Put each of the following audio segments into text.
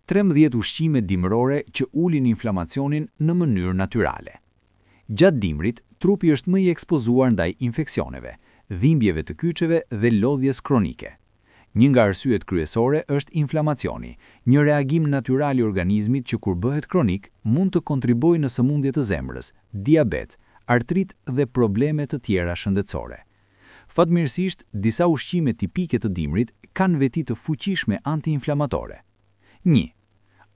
13 ushqime dimërore që ulin inflamacionin në mënyrë natyrale. Gjatë dimrit, trupi është më i ekspozuar ndaj infeksioneve, dhimbjeve të kyçeve dhe lodhjes kronike. Një nga arsyet kryesore është inflamacioni, një reagim natyral i organizmit që kur bëhet kronik mund të kontribuojë në sëmundje të zemrës, diabet, artrit dhe probleme të tjera shëndetësore. Fatmirësisht, disa ushqime tipike të dimrit kanë veti të fuqishme antiinflamatore. 1.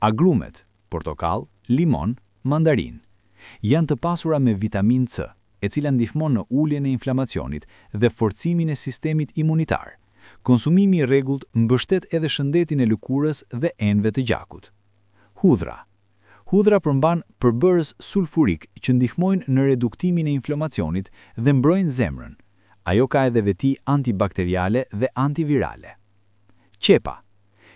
Agrumet, portokall, limon, mandarinë. Janë të pasura me vitaminë C, e cila ndihmon në uljen e inflamacionit dhe forcimin e sistemit imunitar. Konsumimi i rregullt mbështet edhe shëndetin e lëkurës dhe enëve të gjakut. Hudhra. Hudhra përmban përbërës sulfurik që ndihmojnë në reduktimin e inflamacionit dhe mbrojnë zemrën. Ajo ka edhe veti antibakteriale dhe antivirale. Qepa.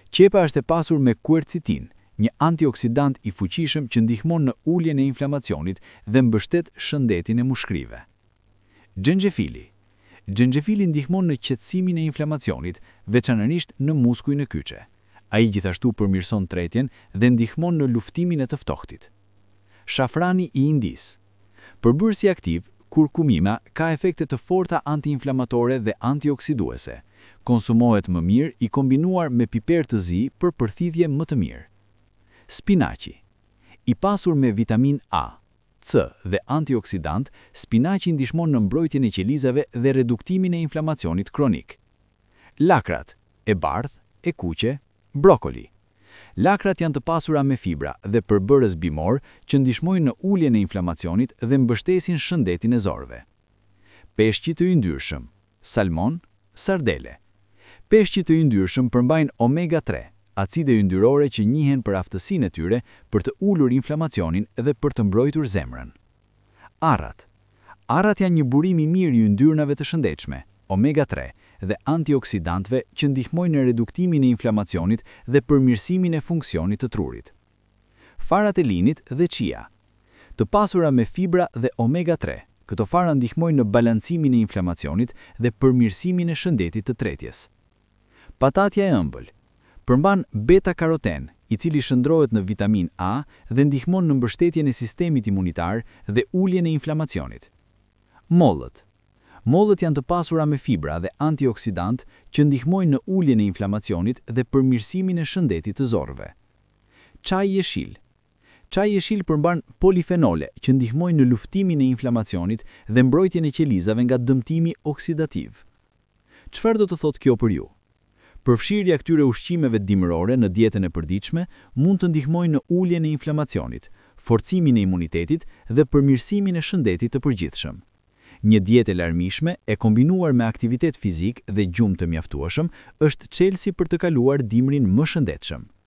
Qepa është e pasur me kuercitinë, një antioksidant i fuqishëm që ndihmon në uljen e inflamacionit dhe mbështet shëndetin e mushkërive. Xhenxhefili. Xhenxhefili ndihmon në qetësimin e inflamacionit, veçanërisht në muskuj në kyçe. Ai gjithashtu përmirëson tretjen dhe ndihmon në luftimin e të ftohtit. Shafrani i Indisë. Përbërësi aktiv, kurkumina, ka efekte të forta antiinflamatore dhe antioksiduese. Konsumohet më mirë i kombinuar me piper të zi për përthithje më të mirë. Spinaqi. I pasur me vitaminë A, C dhe antioksidant, spinaqi ndihmon në mbrojtjen e qelizave dhe reduktimin e inflamacionit kronik. Lakrat, e bardhë, e kuqe, brokoli. Lakrat janë të pasura me fibra dhe përbërës bimor që ndihmojnë në uljen e inflamacionit dhe mbështesin shëndetin e zorrëve. Peshqit të yndyrshëm, salmon, sardele. Peshqit të yndyrshëm përmbajnë omega 3, acide yndyrore që njihen për aftësinë e tyre për të ulur inflamacionin dhe për të mbrojtur zemrën. Arrat. Arrat janë një burim i mirë i yndyrnave të shëndetshme, omega 3, dhe antioksidantëve që ndihmojnë në reduktimin e inflamacionit dhe përmirësimin e funksionit të trurit. Farat e linit dhe chia. Të pasura me fibra dhe omega 3, këto fara ndihmojnë në balancimin e inflamacionit dhe përmirësimin e shëndetit të tretjes. Patatja e ëmbël. Përmban beta-karoten, i cili shndërrohet në vitaminë A dhe ndihmon në mbështetjen e sistemit imunitar dhe uljen e inflamacionit. Mollët. Mollët janë të pasura me fibra dhe antioksidantë që ndihmojnë në uljen e inflamacionit dhe përmirësimin e shëndetit të zorrëve. Çaji jeshil. Çaji jeshil përmban polifenole që ndihmojnë në luftimin e inflamacionit dhe mbrojtjen e qelizave nga dëmtimi oksidativ. Çfarë do të thotë kjo për ju? Përfshirja e këtyre ushqimeve dimërore në dietën e përditshme mund të ndihmojë në uljen e inflamacionit, forcimin e imunitetit dhe përmirësimin e shëndetit të përgjithshëm. Një dietë e larmishme e kombinuar me aktivitet fizik dhe gjumë të mjaftueshëm është çelësi për të kaluar dimrin më shëndetshëm.